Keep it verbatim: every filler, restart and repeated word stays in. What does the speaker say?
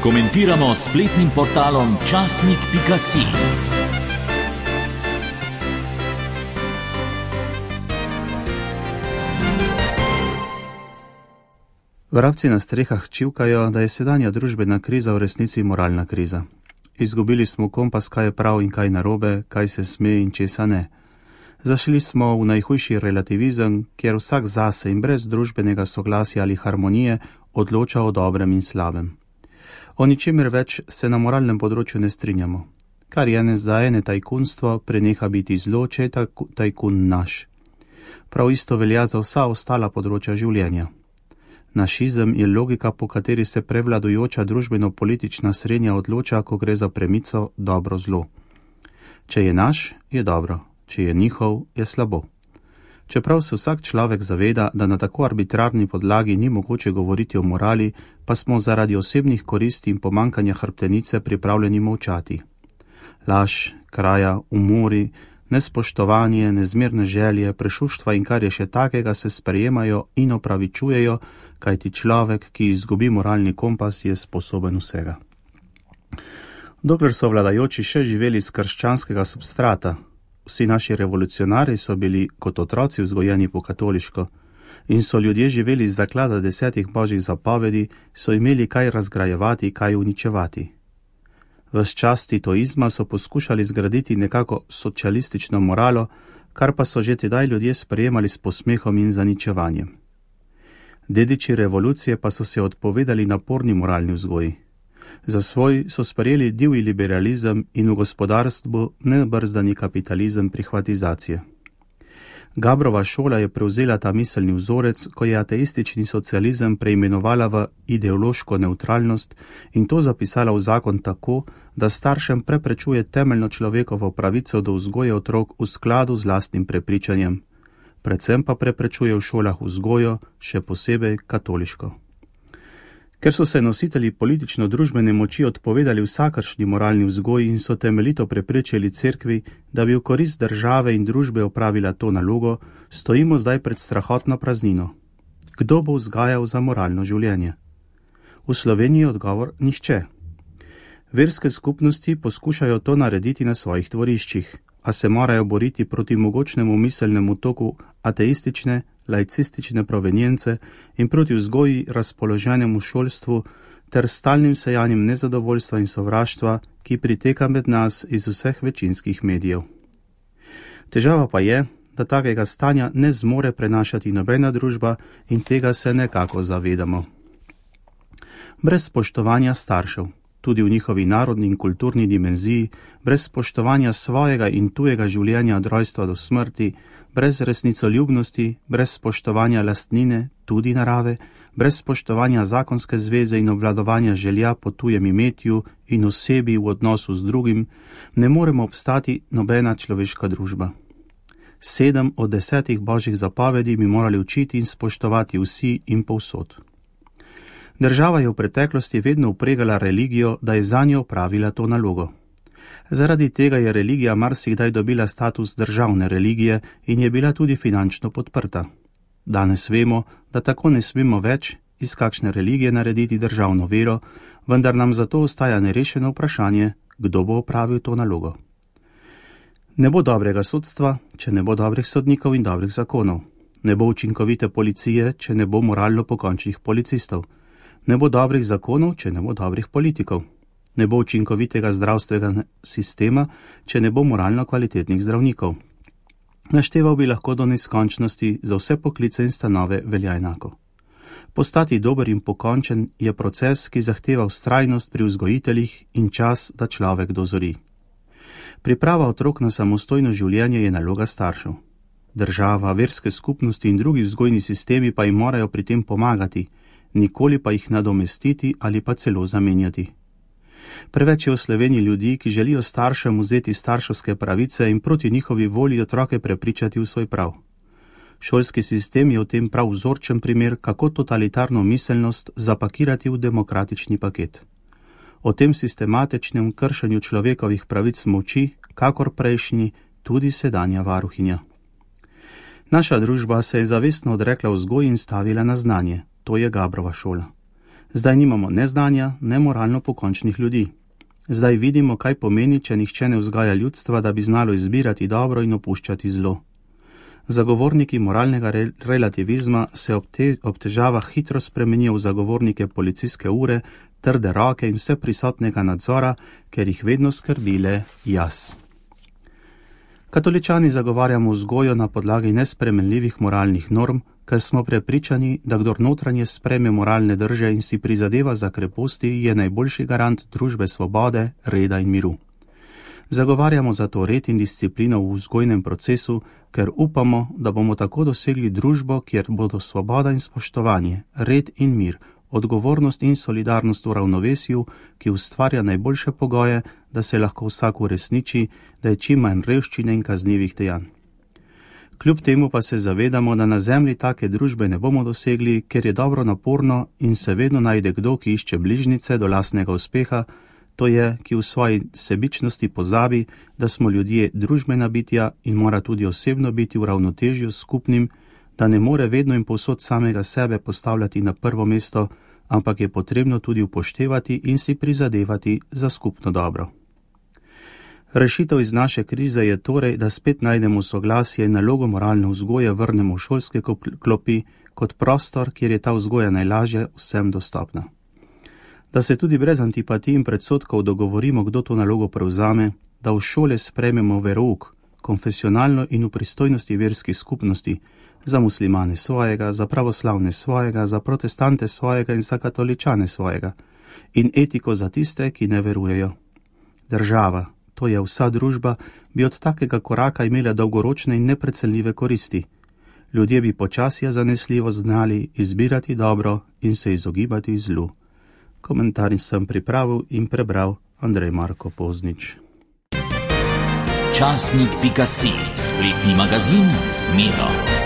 Komentiramo s spletnim portalom časnik pika si. Vrabci na strehah čivkajo, da je sedanja družbena kriza v resnici moralna kriza. Izgubili smo kompas, kaj je prav in kaj narobe, kaj se sme in česa ne. Zašli smo v najhujši relativizem, kjer vsak zase in brez družbenega soglasja ali harmonije odloča o dobrem in slabem. O ničemer več se na moralnem področju ne strinjamo. Kar je ene za ene tajkunstvo, preneha biti zlo, če je tajkun naš. Prav isto velja za vsa ostala področja življenja. Našizem je logika, po kateri se prevladujoča družbeno-politična srednja odloča, ko gre za premico dobro-zlo. Če je naš, je dobro, če je njihov, je slabo. Čeprav se vsak človek zaveda, da na tako arbitrarni podlagi ni mogoče govoriti o morali, pa smo zaradi osebnih koristi in pomankanja hrbtenice pripravljeni molčati. Laž, kraja, umori, nespoštovanje, nezmerne želje, prešuštva in kar je še takega se sprejemajo in opravičujejo, kajti človek, ki izgubi moralni kompas, je sposoben vsega. Dokler so vladajoči še živeli z krščanskega substrata, vsi naši revolucionarji so bili kot otroci vzgojeni po katoliško in so ljudje živeli iz zaklada desetih božjih zapovedi, so imeli kaj razgrajevati, kaj uničevati. Ves čas titoizma so poskušali zgraditi nekako socialistično moralo, kar pa so že tedaj ljudje sprejemali s posmehom in zaničevanjem. Dediči revolucije pa so se odpovedali naporni moralni vzgoji. Za svoj so sprejeli divji liberalizem in v gospodarstvu nebrzdani kapitalizem prihvatizacije. Gabrova šola je prevzela ta miselni vzorec, ko je ateistični socializem preimenovala v ideološko nevtralnost in to zapisala v zakon tako, da staršem preprečuje temeljno človekovo pravico do vzgoje otrok v skladu z lastnim prepričanjem. Predvsem pa preprečuje v šolah vzgojo, še posebej katoliško. Ker so se nositelji politično-družbene moči odpovedali vsakršni moralni vzgoji in so temeljito preprečili cerkvi, da bi v korist države in družbe opravila to nalogo, stojimo zdaj pred strahotno praznino. Kdo bo vzgajal za moralno življenje? V Sloveniji je odgovor nihče. Verske skupnosti poskušajo to narediti na svojih dvoriščih, a se morajo boriti proti mogočnemu miselnemu toku ateistične, laicistične provenience in proti vzgoji razpoloženemu šolstvu ter stalnim sejanjem nezadovoljstva in sovraštva, ki priteka med nas iz vseh večinskih medijev. Težava pa je, da takega stanja ne zmore prenašati nobena družba in tega se nekako zavedamo. Brez spoštovanja staršev, tudi v njihovi narodni in kulturni dimenziji, brez spoštovanja svojega in tujega življenja od rojstva do smrti, brez resnicoljubnosti, brez spoštovanja lastnine, tudi narave, brez spoštovanja zakonske zveze in obvladovanja želja po tujem imetju in osebi v odnosu z drugim, ne moremo obstati nobena človeška družba. Sedem od desetih božjih zapovedi bi morali učiti in spoštovati vsi in povsod. Država je v preteklosti vedno upregala religijo, da je zanjo opravila to nalogo. Zaradi tega je religija marsikdaj dobila status državne religije in je bila tudi finančno podprta. Danes vemo, da tako ne smemo več iz kakšne religije narediti državno vero, vendar nam zato ostaja nerešeno vprašanje, kdo bo opravil to nalogo. Ne bo dobrega sodstva, če ne bo dobrih sodnikov in dobrih zakonov. Ne bo učinkovite policije, če ne bo moralno pokončnih policistov. Ne bo dobrih zakonov, če ne bo dobrih politikov. Ne bo učinkovitega zdravstvenega sistema, če ne bo moralno kvalitetnih zdravnikov. Našteval bi lahko do neskončnosti, za vse poklice in stanove velja enako. Postati dober in pokončen je proces, ki zahteva vztrajnost pri vzgojiteljih in čas, da človek dozori. Priprava otrok na samostojno življenje je naloga staršev. Država, verske skupnosti in drugi vzgojni sistemi pa jim morajo pri tem pomagati, nikoli pa jih nadomestiti ali pa celo zamenjati. Preveč je v Sloveniji ljudi, ki želijo staršem vzeti starševske pravice in proti njihovi volji otroke prepričati v svoj prav. Šolski sistem je v tem prav vzorčen primer, kako totalitarno miselnost zapakirati v demokratični paket. O tem sistematičnem kršenju človekovih pravic molči, kakor prejšnji, tudi sedanja varuhinja. Naša družba se je zavestno odrekla vzgoji in stavila na znanje, to je Gabrova šola. Zdaj nimamo ne znanja, ne moralno pokončnih ljudi. Zdaj vidimo, kaj pomeni, če nihče ne vzgaja ljudstva, da bi znalo izbirati dobro in opuščati zlo. Zagovorniki moralnega re relativizma se ob, te, ob težavah hitro spremenijo v zagovornike policijske ure, trde roke in vse prisotnega nadzora, ker jih vedno skrbile jaz. Katoličani zagovarjamo vzgojo na podlagi nespremenljivih moralnih norm, ker smo prepričani, da kdor notranje spreme moralne drže in si prizadeva za kreposti, je najboljši garant družbe svobode, reda in miru. Zagovarjamo zato red in disciplino v vzgojnem procesu, ker upamo, da bomo tako dosegli družbo, kjer bodo svoboda in spoštovanje, red in mir, odgovornost in solidarnost v ravnovesju, ki ustvarja najboljše pogoje, da se lahko vsak uresniči, da je čim manj revščine in kaznivih dejanj. Kljub temu pa se zavedamo, da na zemlji take družbe ne bomo dosegli, ker je dobro naporno in se vedno najde kdo, ki išče bližnjice do lastnega uspeha, to je, ki v svoji sebičnosti pozabi, da smo ljudje družbena bitja in mora tudi osebno biti v ravnotežju s skupnim, da ne more vedno in povsod samega sebe postavljati na prvo mesto, ampak je potrebno tudi upoštevati in si prizadevati za skupno dobro. Rešitev iz naše krize je torej, da spet najdemo soglasje in nalogo moralne vzgoje vrnemo v šolske klopi kot prostor, kjer je ta vzgoja najlažje vsem dostopna. Da se tudi brez antipatij in predsodkov dogovorimo, kdo to nalogo prevzame, da v šole sprejmemo verouk, konfesionalno in v pristojnosti verskih skupnosti, za muslimane svojega, za pravoslavne svojega, za protestante svojega in za katoličane svojega, in etiko za tiste, ki ne verujejo. Država, to je vsa družba, bi od takega koraka imela dolgoročne in neprecenljive koristi. Ljudje bi počasje zanesljivo znali izbirati dobro in se izogibati zlu. Komentar sem pripravil in prebral Andrej Marko Poznič. Časnik pika si, spletni magazin z Miro.